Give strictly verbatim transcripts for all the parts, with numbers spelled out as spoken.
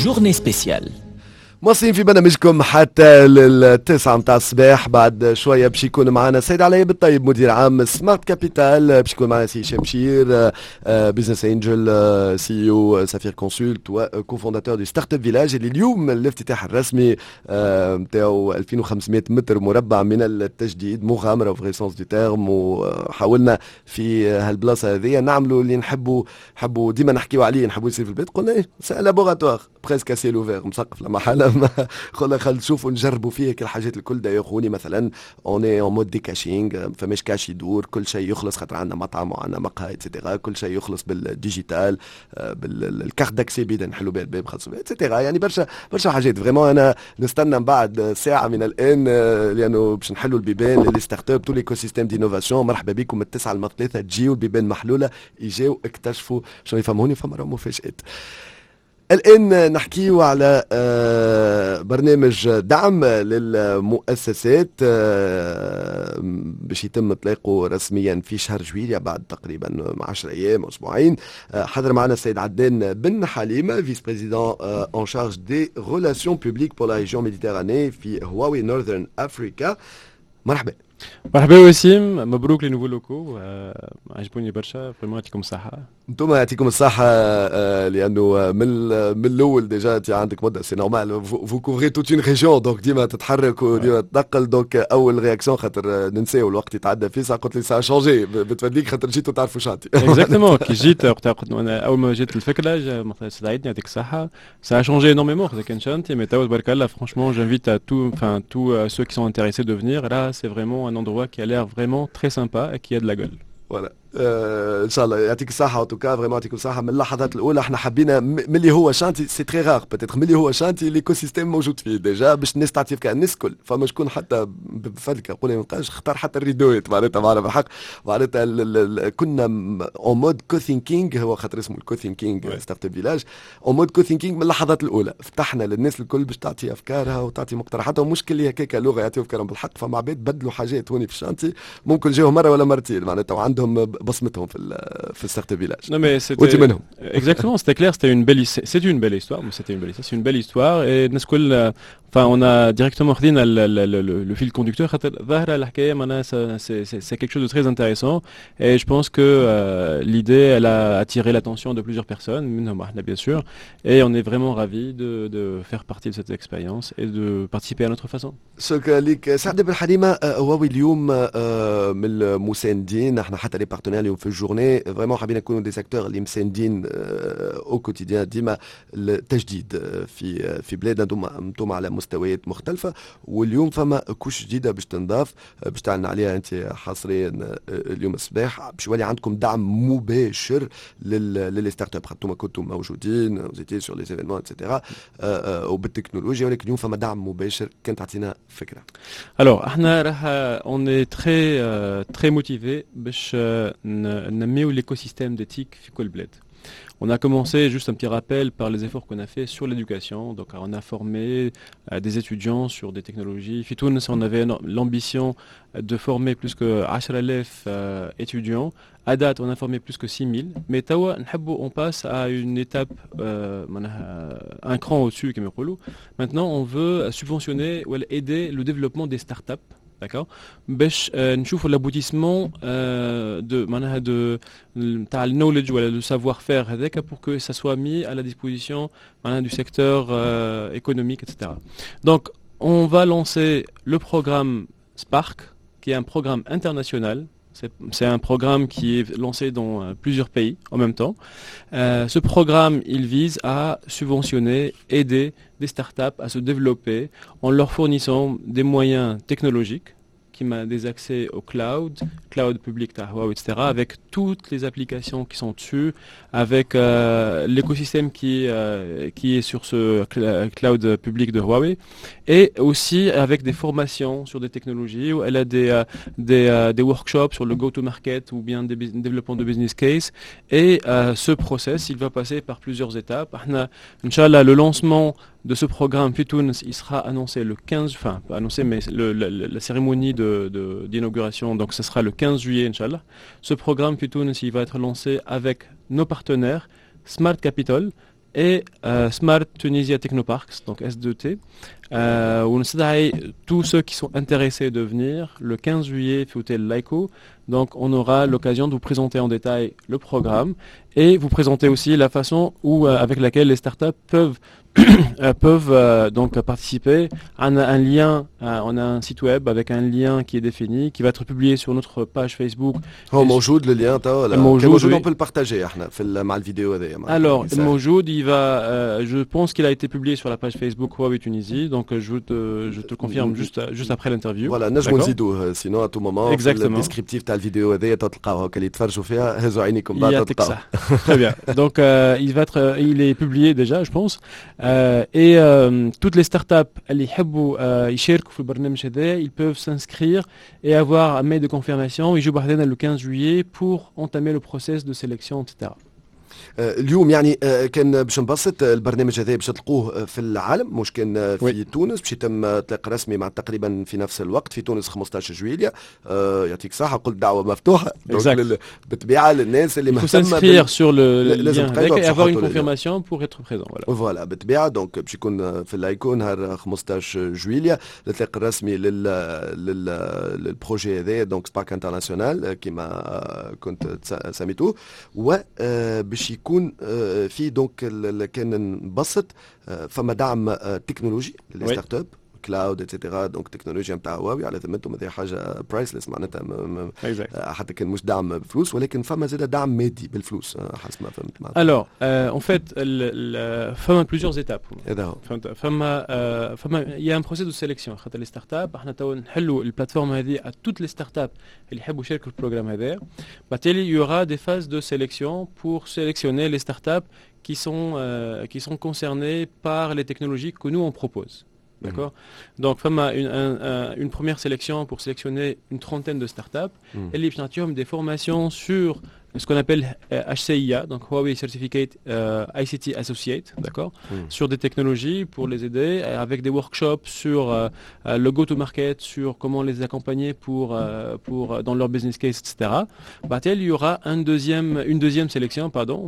Journée spéciale. مواصلين في برنامجكم حتى للتسعة متاع الصباح. بعد شوية باش يكون معنا السيد علي بالطيب، مدير عام Smart Capital، باش يكون معنا سي هشام شير، business angel، CEO Safir Consult و cofondateur du Startup Village، اللي اليوم الافتتاح الرسمي نتاعو، ألفين وخمسمية متر مربع من التجديد، مغامرة vrai sens du terme. وحاولنا في هالبلاصة هذه نعملوا اللي نحبوا نحبوا ديما نحكيو عليه، نحبوا يصير في البلاد. قلنا ايه، c'est laboratoire presque à ciel ouvert، مسقف لمحل، قلنا خلينا نشوفوا نجربوا فيه كل الحاجات الكل. d'ailleurs هوني مثلا on est en mode decashing، فماش كاش يدور، كل شيء يخلص، خاطر عندنا مطعم وعندنا مقهى et cetera، كل شيء يخلص بال digital، بال carte d'accès بيدا، نحلوا بها الباب خلصوا et cetera. يعني برشا برشا حاجات vraiment. انا نستنى من بعد ساعة من الان لانه باش نحلوا البيبان les startups، tout l'écosystème d'innovation. مرحبا بكم من التسعة للثلاثه، تجيو، البيبان محلوله، يجيو اكتشفوا شنو يفهموني، فما راهو مفاجآت. الآن نحكيو على آه، برنامج دعم للمؤسسات آه، باش يتم اطلاقه رسميا في شهر جويلية، بعد تقريبا عشرة ايام، اسبوعين. آه، حضر معنا السيد عدنان بن حليمه، vice-président en charge des relations publiques pour la région Méditerranée في Huawei Northern Africa. مرحبا. مرحبا وسيم، مبروك les nouveaux locaux، عجبوني برشا vraiment، يعطيكم الصحة. انتم يعطيكم الصحة، آه، لأنه من من الأول déjà انت عندك مدة، c'est normal، vous couvrez toute une région، donc ديما تتحرك وديما تنقل. donc أول réaction، خاطر ننساو الوقت يتعدى فيسع، قلت لي ça a changé بتفدليك خاطر جيتوا تعرفوا chantier. Exactement، كي جيت وقتها قلت انا اول ما جيت الفكرة استدعيتني، يعطيك الصحة، ça a changé énormément. خاطر كان chantier mais توا تبارك الله، franchement j'invite à tout enfin tous ceux qui sont intéressés de venir. Là c'est vraiment un endroit qui a l'air vraiment très sympa et qui a de la gueule. Voilà، آه ان شاء الله يعطيك الصحة، en tout cas vraiment يعطيكم الصحة. من اللحظات الأولى احنا حبينا ملي هو chantier، c'est très rare peut-être، ملي هو chantier l'écosystème موجود فيه déjà باش الناس تعطي افكار الناس الكل. فما شكون حتى بفلكة نقول ما اختار حتى الريدويت، معناتها معنا بالحق، معناتها كنا en mode co-thinking، هو خاطر اسمه ال co-thinking Startup Village، en mode co-thinking من اللحظات الأولى فتحنا للناس الكل باش تعطي افكارها وتعطي مقترحاتها، ومش كل هكاك لغة يعطيو افكارهم. بالحق فما عباد بدلوا حاجات هوني في ال chantier، ممكن جاو مرة ولا مرتين معناتها وعندهم بصمتهم في في ال Startup Village. Non mais c'était exactement، c'était clair، c'était une belle c'est une belle histoire، mais c'était une belle histoire، c'est une belle histoire et الناس الكل enfin on a directement خدينا le fil conducteur خاطر ظاهره الحكاية معناها c'est quelque chose de très intéressant et je pense que euh, l'idée elle a attiré l'attention de plusieurs personnes، منهم احنا bien sûr، et on est vraiment ravis de, de faire partie de cette expérience et de participer à notre façon. شكرا لك سعد بن حليمه. هواوي اليوم من المساندين، احنا حتى les partenaires اليوم في ال journée vraiment حابين نكونوا des acteurs اللي مساندين au quotidien ديما التجديد في في بلادنا، انتم على مستويات مختلفه. واليوم فما couche جديدة باش تنضاف، باش تعلن عليها انت حصريا اليوم الصباح، باش يولي عندكم دعم مباشر لل les startups. خاطر كنتم موجودين vous sur les événements et cetera وبالتكنولوجيا، ولكن اليوم فما دعم مباشر، كان تعطينا فكره. Alors احنا راح on est très très motivés باش ننميو l'écosystème des TIC في كل بلاد. On a commencé, juste un petit rappel, par les efforts qu'on a fait sur l'éducation. Donc, on a formé euh, des étudiants sur des technologies. في تونس, on avait l'ambition de former plus que عشرة آلاف euh, étudiants. À date, on a formé plus que six mille. Mais توا, on passe à une étape, euh, un cran au-dessus, كيما يقولوا. Maintenant, on veut subventionner ou aider le développement des startups, d'accord، باش نشوفوا l'aboutissement de معناها de تاع ال knowledge ولا le savoir-faire هذاك pour que ça soit mis à la disposition معناها du secteur économique et cetera. Donc on va lancer le programme Spark, qui est un programme international. C'est un programme qui est lancé dans euh, plusieurs pays en même temps. Euh, ce programme, il vise à subventionner, aider des startups à se développer en leur fournissant des moyens technologiques qui des accès au cloud, cloud public تاع Huawei, et cetera, avec toutes les applications qui sont dessus, avec euh, l'écosystème qui, euh, qui est sur ce cloud public de Huawei, et aussi avec des formations sur des technologies, ولا des, euh, des, des workshops sur le go-to-market ou bien des développement de business case. Et ce process, il va passer par plusieurs étapes. احنا إن شاء الله, le lancement de ce programme في تونس, il sera annoncé le quinze, enfin pas annoncé, mais le, la, la, cérémonie d'inauguration, de, donc ce sera le quinze juillet, إن شاء الله. Ce programme في تونس, il va être lancé avec nos partenaires, Smart Capital, et euh, Smart Tunisia Technoparks, donc S deux T. Euh, ونستدعي tous ceux qui sont intéressés de venir le quinze juillet في hôtel Laico. Donc on aura l'occasion de vous présenter en détail le programme et vous présenter aussi la façon où, euh, avec laquelle les startups peuvent euh, peuvent euh, donc participer. On a un lien, euh, on a un site web avec un lien qui est défini, qui va être publié sur notre page Facebook. هو موجود le lien توا ولا موجود. موجود. oui. On peut le partager احنا في ال- مع الفيديو هذايا معناتها. Alors, موجود, il va, euh, je pense qu'il a été publié sur la page Facebook Huawei Tunisie, donc euh, je te, je te le confirme juste, juste après l'interview. Voilà, نجموا D'accord. نزيدوه sinon à tout moment في Exactement. ال descriptif تاع الفيديو هذايا تلقاوه هكا اللي يتفرجوا فيها هزوا عينيكم بعد يعطيك تلقاوه. الصحة. Très bien. Donc, euh, il va être, euh, il est publié déjà, je pense. Euh, et euh, toutes les startups اللي يحبوا euh, يشاركوا في البرنامج هذا, ils peuvent s'inscrire et avoir un mail de confirmation. يجوا بحذانا le quinze juillet pour entamer le process de sélection, et cetera آه، اليوم يعني آه، كان باش نبسط آه، البرنامج هذا باش تلقوه في العالم مش كان في oui. تونس باش يتم اطلاق رسمي مع تقريبا في نفس الوقت في تونس خمسطاش جويليا. يعطيك صحة قلت دعوة مفتوحة بالطبيعة للناس اللي مهتمة s'inscrire sur le lien et avoir une confirmation pour être présent. Voilà, voilà بالطبيعة donc باش يكون في اللايكو نهار خمسطاش جويليا الاطلاق الرسمي لل لل لل projet هذا donc Spark International كما كنت سميتوه و باش يكون في donc كان نبسط فما دعم تكنولوجي لل startups, cloud, et cetera, donc تكنولوجيا نتاع هواوي على ذمتهم هذه حاجه priceless معناتها حتى كان مش دعم بفلوس ولكن فما زاد دعم مادي بالفلوس حسب ما فهمت. Alors, en fait, فما plusieurs étapes. هذا هو. فهمت فما فما il y a un processus de sélection خاطر les startups احنا تو نحلوا ال plateforme هذه à toutes les startups اللي يحبوا يشاركوا في ال programme هذا. بالتالي il y aura des phases de sélection pour sélectionner les startups qui sont, euh, qui sont concernées par les technologies que nous on propose. D'accord. Donc, فما une, un, un, une première sélection pour sélectionner une trentaine de startups. Mm. Et les des formations sur ce qu'on appelle H C I A, donc Huawei Certificate euh, I C T Associate, d'accord, mm. sur des technologies pour les aider, avec des workshops sur euh, le go-to-market, sur comment les accompagner pour, euh, pour, dans leur business case, et cetera. بعد il y aura un deuxième, une deuxième sélection, pardon,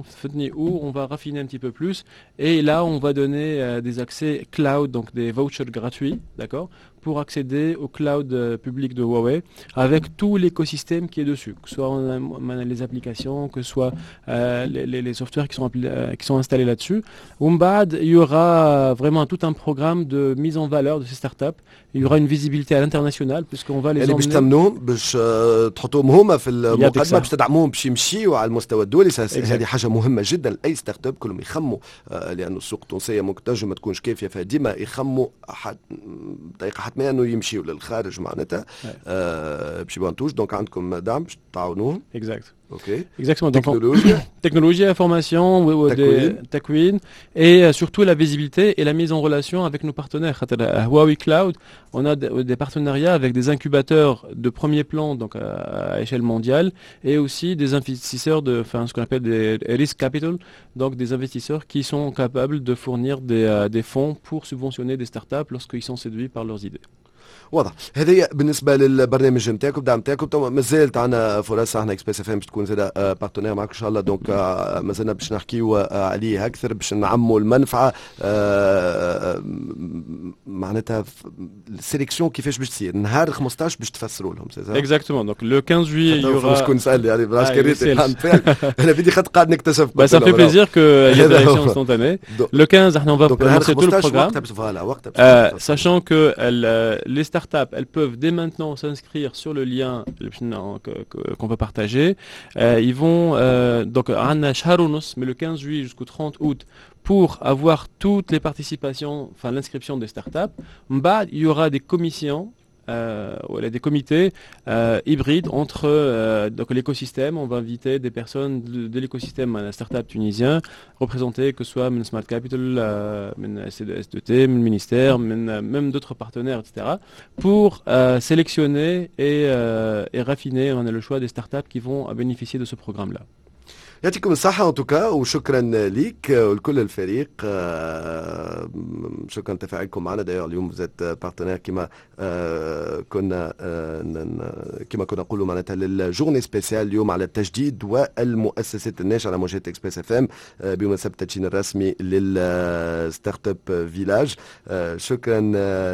où on va raffiner un petit peu plus, et là, on va donner des accès cloud, donc des vouchers gratuits, d'accord, pour accéder au cloud public de Huawei avec tout l'écosystème qui est dessus, que ce soit les applications, que ce soit euh, les, les, les softwares qui sont, euh, qui sont installés là-dessus. ومن بعد, il y aura vraiment tout un programme de mise en valeur de ces startups. Il y aura une visibilité à l'international puisqu'on va les يعني باش تمنوهم باش تحطوهم هما في المقدمه باش تدعموهم باش يمشيوا على المستوى الدولي. هذه حاجه مهمه جدا لاي startup كلهم يخموا لانه السوق التونسيه ممكن تنجم ما تكونش كافيه فديما يخموا بطريقه حتميه انه يمشيوا للخارج معناتها آه باش يبقوا donc عندكم دعم باش تعاونوهم. Exact. Ok. Exactement. Donc, technologie. Technologie, information, تكوين, et surtout la visibilité et la mise en relation avec nos partenaires. Huawei Cloud, on a des partenariats avec des incubateurs de premier plan, donc à échelle mondiale, et aussi des investisseurs de, enfin, ce qu'on appelle des risk capital, donc des investisseurs qui sont capables de fournir des, des fonds pour subventionner des startups lorsqu'ils sont séduits par leurs idées. واضح هذه بالنسبه للبرنامج نتاعكم دعم نتاعكم مازالت عندنا فرص احنا Express F M باش تكون زاده partenaire معك ان شاء الله donc مازلنا باش نحكيو عليه اكثر باش نعموا المنفعه معناتها ال sélection كيفاش باش تصير نهار خمسطاش باش تفسروا لهم. Exactement, donc le quinze juillet il y aura شكون سال يعني بالعكس كريت انا بدي خاطر قاعد نكتشف. Bah, ça fait plaisir qu'il y ait des réactions instantanées. Le quinze on va lancer tout le programme. Voilà, وقتها euh, sachant que les startups, elles peuvent dès maintenant s'inscrire sur le lien qu'on va partager. Euh, ils vont euh, donc عندنا شهر ونص من le quinze juillet jusqu'au trente août pour avoir toutes les participations, enfin l'inscription des startups. من بعد, il y aura des commissions euh, voilà, des comités euh, hybrides entre euh, donc l'écosystème. On va inviter des personnes de, de l'écosystème startup tunisien représentés, que ce soit من Smart Capital, من S deux T, من ministère, même d'autres partenaires, et cetera, pour sélectionner et, et raffiner on a le choix des startups qui vont bénéficier de ce programme-là. يعطيكم الصحة en tout cas، وشكرا ليك ولكل الفريق. آه، شكرا تفاعلكم معنا. d'ailleurs اليوم vous êtes partenaires كما آه، كنا آه، كما كنا نقولوا معناتها لل journée spéciale اليوم على التجديد والمؤسسات الناشئة على موجات Express FM بمناسبة التدشين الرسمي لل startup village. شكرا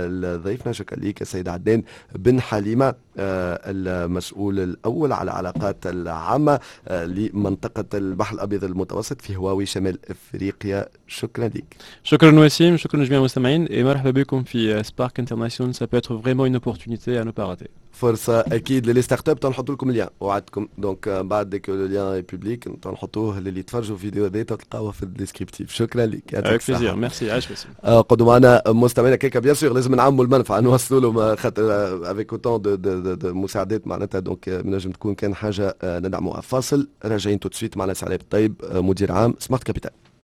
لضيفنا، شكرا لك السيد عدنان بن حليمة، المسؤول الأول على العلاقات العامة لمنطقة البحر الأبيض المتوسط في هواوي شمال أفريقيا. شكرا لك. شكرا وسيم، شكرا لجميع المستمعين et مرحبا بكم في Spark International، ça peut être vraiment une opportunité à ne pas rater. فرصة اكيد ل les startups. نحط لكم ال lien، وعدتكم، donc بعد que le lien est public نحطوه للي يتفرجوا فيديو هذا، تلقاوه في ال descriptif. شكرا لك. يعطيك plaisir، merci، عايش وسيم. قدوا معنا مستمعينا كيكا، bien sûr لازم نعموا المنفعه، نوصلوا لهم خاطر avec autant de, de, de مساعدات معناتها donc نجم تكون كان حاجة ندعموها. فاصل، راجعين tout de suite معنا سي علاء الطيب، مدير عام Smart Capital.